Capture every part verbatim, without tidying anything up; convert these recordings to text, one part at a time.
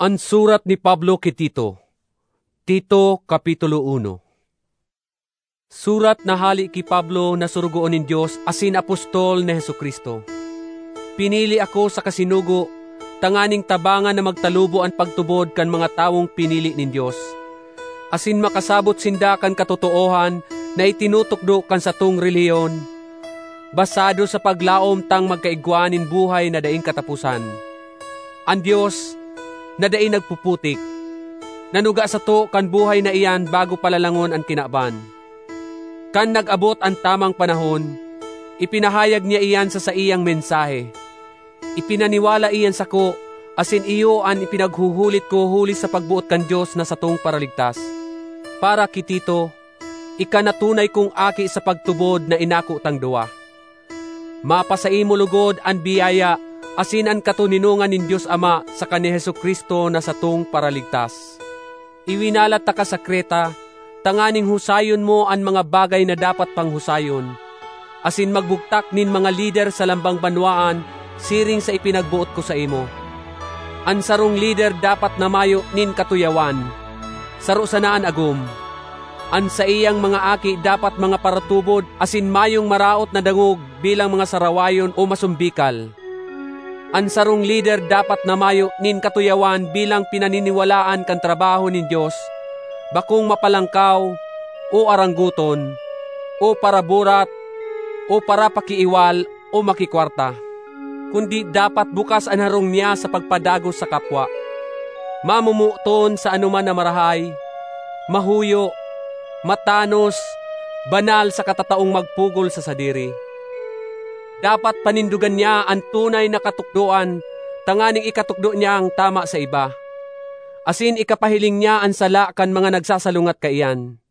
An surat ni Pablo ki Tito. Tito, Kapitulo uno. Surat na hale ki Pablo na sorogoon nin Dios asin apostol ni Jesu-Cristo. Pinili ako saka sinugo tanganing tabangan na magtalubo an pagtubod kan mga tawong pinili nin Dios, asin makasabot sinda kan katotoohan na itinutukdo kan satong relihiyon, basado sa paglaom tang magkaigwa nin buhay na daing kataposan. An Dios, na dai nagpuputik, nanuga sato kan buhay na iyan bago pa lalangon an kinaban. Kan nag-abot an tamang panahon, ipinahayag niya iyan sa saiyang mensahe. Ipinaniwala iyan sako, asin iyo an ipinaghuhulit ko huli sa pagboot kan Dios na satong Paraligtas. Para ki Tito, ika na tunay kong aki sa pagtubod na inako tang duwa. Mapasaimo logod an biyaya asin an katoninongan nin Dios Ama saka ni Jesu-Cristo na satong Paraligtas. Iwinalat taka sa Creta tanganing husayon mo an mga bagay na dapat pang husayon, asin magbugtak nin mga lider sa lambang banwaan siring sa ipinagboot ko saimo. An sarong lider dapat na mayo nin katuyawan, saro sana an agom. An saiyang mga aki dapat mga paratubod asin mayong maraot na dangog bilang mga sarawayon o masumbikal. An sarong lider dapat na mayo nin katuyawan bilang pinaniniwalaan kan trabaho nin Dios, bakong mapalangkaw, o aranggoton, o paraburat, o parapakiiwal, o makikwarta. Kundi dapat bukas an harong niya sa pagpadagos sa kapwa. Mamomoton sa anoman na marahay, mahuyo, matanos, banal saka tataong magpugol sa sadiri. Dapat panindogan niya an tunay na katukdoan tanganing ikatukdo niya an tama sa iba, asin ikapahiling niya an sala kan mga nagsasalungat kaiyan.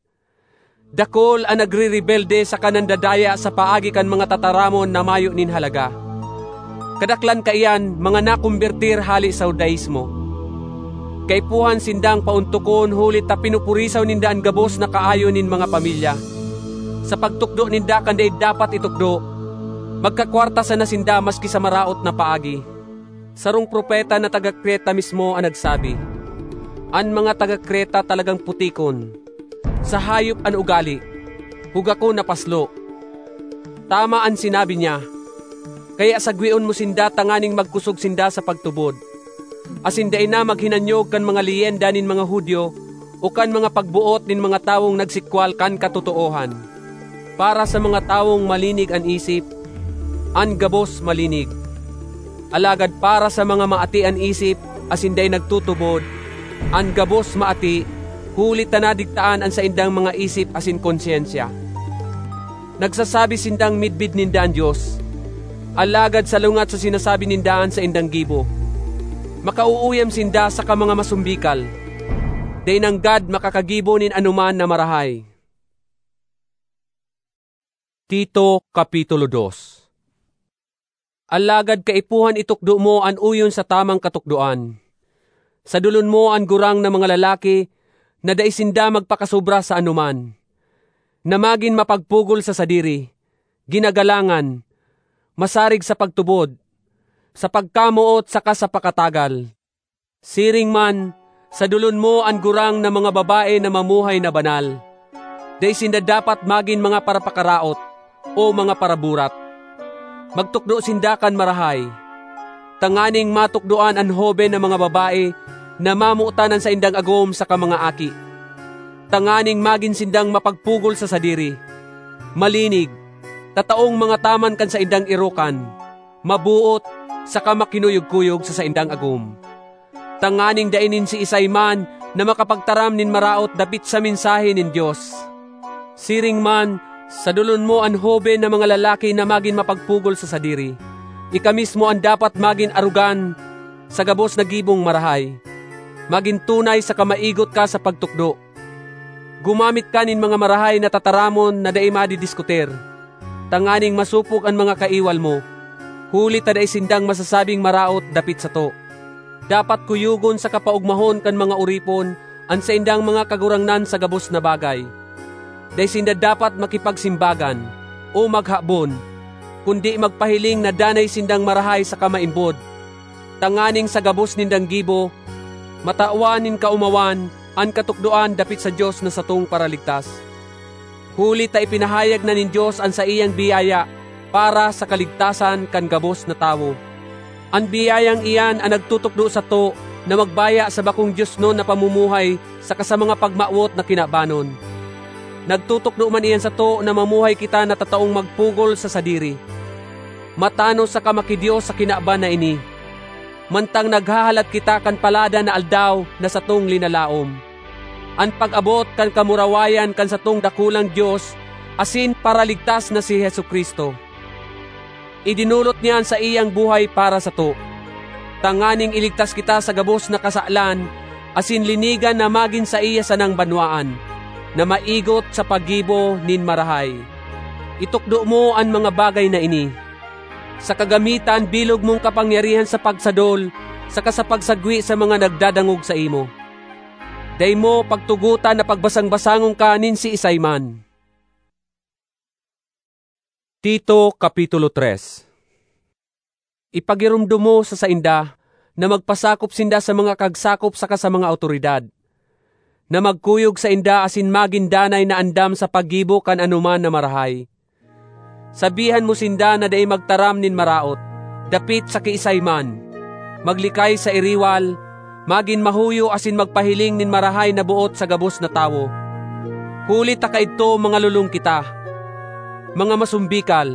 Dakul an nagrerebelde saka nandadaya sa paagi kan mga tataramon na mayo nin halaga. Kadaklan kaiyan, mga nakombertir hale sa Judaismo. Kaipuhan sindang paontokon huli ta pinupurisaw ninda an gabos na kaayo nin mga pamilya. Sa pagtukdo ninda kan dai dapat itukdo, magkakwarta sana sinda maski sa maraot na paagi. Sarong propeta na taga Creta mismo an nagsabi, "An mga taga Creta talagang putikon. Sa hayop an ugali, hugakon na paslo." Tama an sinabi niya, kaya sagwion mo sinda tanganing magkusog sinda sa pagtubod, asin dai na maghinanyog kan mga leyenda nin mga Judio o kan mga pagboot nin mga tawong nagsikwal kan katotoohan. Para sa mga tawong malinig an isip, an gabos malinig. Alagad para sa mga maati an isip asin dai nagtutubod, an gabos maati, huli ta nadigtaan an saindang mga isip asin konsyensya. Nagsasabi sindang midbid ninda an Dios, alagad salungat sa sinasabi ninda an saindang gibo. Makauuyam sinda saka mga masumbikal. Dai nanggad makakagibo nin anoman na marahay. Tito, Kapitulo dos. Alagad kaipuhan itukdo mo an oyon sa tamang katukdoan. Sadolon mo an gurang na mga lalaki na dai sinda magpakasobra sa anoman, na magin mapagpugol sa sadiri, ginagalangan, masarig sa pagtubod, sa pagkamoot saka sa pakatagal. Siring man, sadolon mo an gurang na mga babae na mamuhay na banal. Dai sinda dapat magin mga parapakaraot o mga paraburat. Magtukdo sinda kan marahay, tanganing matukdoan an hoben na mga babae na mamotan an saindang agom saka mga aki, tanganing magin sindang mapagpugol sa sadiri, malinig, tataong mangataman kan saindang erokan, maboot, saka makinuyog-kuyog sa saindang agom, tanganing dai nin siisay man na makapagtaram nin maraot dapit sa mensahe nin Dios. Siring man, sadolon mo an hoben na mga lalaki na magin mapagpugol sa sadiri. Ika mismo an dapat magin arogan sa gabos na gibong marahay. Magin tunay saka maigot ka sa pagtukdo. Gumamit ka nin mga marahay na tataramon na dai madidiskutir, tanganing masopog an mga kaiwal mo, huli ta dai sindang masasabing maraot dapit sato. Dapat kuyogon saka paogmahon kan mga oripon an saindang mga kagurangnan sa gabos na bagay. Dai sinda dapat makipagsimbagan o maghabon, kundi magpahiling na danay sindang marahay saka maimbod, tanganing sa gabos nindang gibo, matawan nin kaomawan an katukdoan dapit sa Dios na satong Paraligtas. Huli ta ipinahayag na nin Dios an saiyang biyaya para sa kaligtasan kan gabos na tawo. An biyayang iyan an nagtutukdo sato na magbaya sa bakong diosnon na pamumuhay saka sa mga pagmawot na kinabanon. Nagtutukdo man iyan sato na mamuhay kita na tataong magpugol sa sadiri, matanos saka makidios sa kinaban na ini, mantang naghahalat kita kan paladan na aldaw na satong linalaom, an pag-abot kan kamurawayan kan satong dakulang Dios asin Paraligtas na si Jesu-Cristo. Idinolot niya an saiyang buhay para sato, tanganing iligtas kita sa gabos na kasalan asin linigan na magin saiya sanang banwaan na maigot sa paggibo nin marahay. Itukdo mo an mga bagay na ini, saka gamita an bilog mong kapangyarihan sa pagsadol saka sa pagsagwi sa mga nagdadangog saimo. Dai mo pagtugotan na pagbasang-basangon ka nin siisay man. Tito, Kapitulo tres. Ipagiromdom mo sa sainda na magpasakop sinda sa mga kagsakop saka sa mga awtoridad, na magkuyog sainda asin magin danay na andam sa paggibo kan anoman na marahay. Sabihan mo sinda na dai magtaram nin maraot dapit sa kiisay man, maglikay sa iriwal, magin mahuyo asin magpahiling nin marahay na boot sa gabos na tawo. Huli ta kaidto mangalolong kita, mga masumbikal,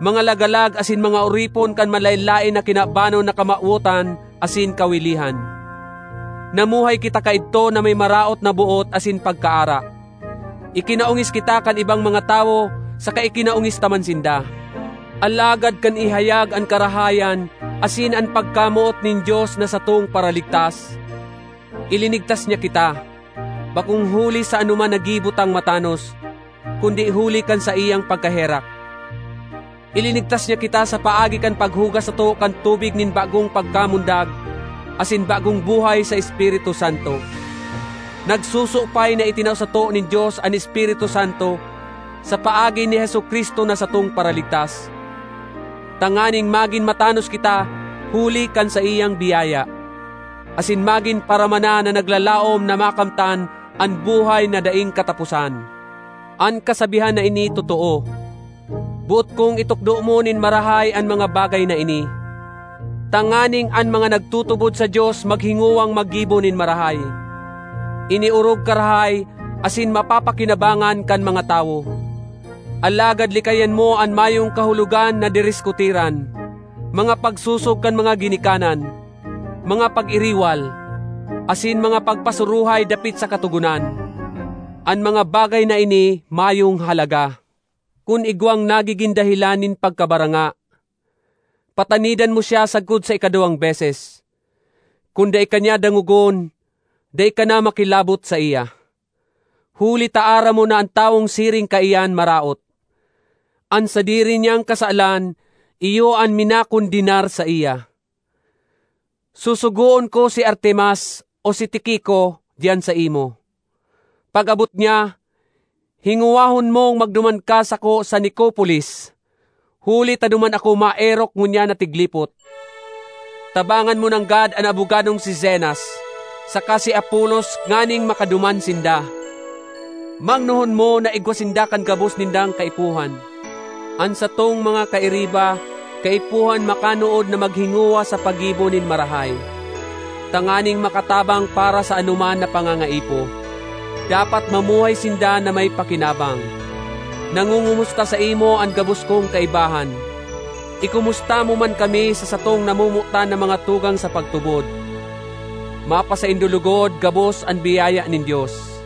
mga lagalag asin mga oripon kan manlaen-laen na kinabanon na kamawotan asin kawilihan. Namuhay kita kaidto na may maraot na boot asin pagkaara. Ikinaongis kita kan ibang mga tawo, saka ikinaongis ta man sinda. Alagad kan ihayag an karahayan asin an pagkamoot nin Dios na satong Paraligtas, ilinigtas niya kita, bakong huli sa anoman na gibo tang matanos, kundi huli kan saiyang pagkaherak. Ilinigtas niya kita sa paagi kan paghugas sato kan tubig nin bagong pagkamundag asin bagong buhay sa Espiritu Santo. Nagsusupay na itinao sato nin Dios an Espiritu Santo sa paagi ni Jesu-Cristo na satong Paraligtas, tanganing magin matanos kita huli kan saiyang biyaya, asin magin paramana na naglalaom na makamtan an buhay na daing kataposan. An kasabihan na ini totoo. Boot kong itukdo mo nin marahay an mga bagay na ini, tanganing an mga nagtutubod sa Dios maghingowang maggibo nin marahay, iniorog karahay asin mapapakinabangan kan mga tawo. Alagad likayan mo an mayong kahulogan na diriskutiran, mga pagsosog kan mga ginikanan, mga pag-iriwal, asin mga pagpasuruhay dapit sa Katogonan. An mga bagay na ini mayong halaga. Kun igwang nagigin dahelan nin pagkabaranga, patanidan mo siya sagkod sa ikaduwang beses. Kun dai ka niya dangogon, dai ka na makilabot saiya. Huli ta aram mo na an tawong siring kaiyan maraot. An sadiri niyang kasalan, iyo an minakondenar saiya. Susugoon ko si Artemas o si Tiquico diyan saimo. Pag-abot niya, hingowahon mong magduman ka sako sa Nicopolis, huli ta duman ako maerok ngunyan na tiglipot. Tabangan mo nanggad an abogadong si Zenas saka si Apolos nganing makaduman sinda. Mangnohon mo na igwa sinda kan gabos nindang kaipuhan. An satong mga kairiba, kaipuhan makanood na maghingowa sa paggibo nin marahay, tanganing makatabang para sa anoman na pangangaipo. Dapat mamuhay sinda na may pakinabang. Nangungumusta saimo an gabos kong kaibahan. Ikumusta mo man kami sa satong namomotan na mga tugang sa pagtubod. Mapasaindo lugod gabos an biyaya nin Dios.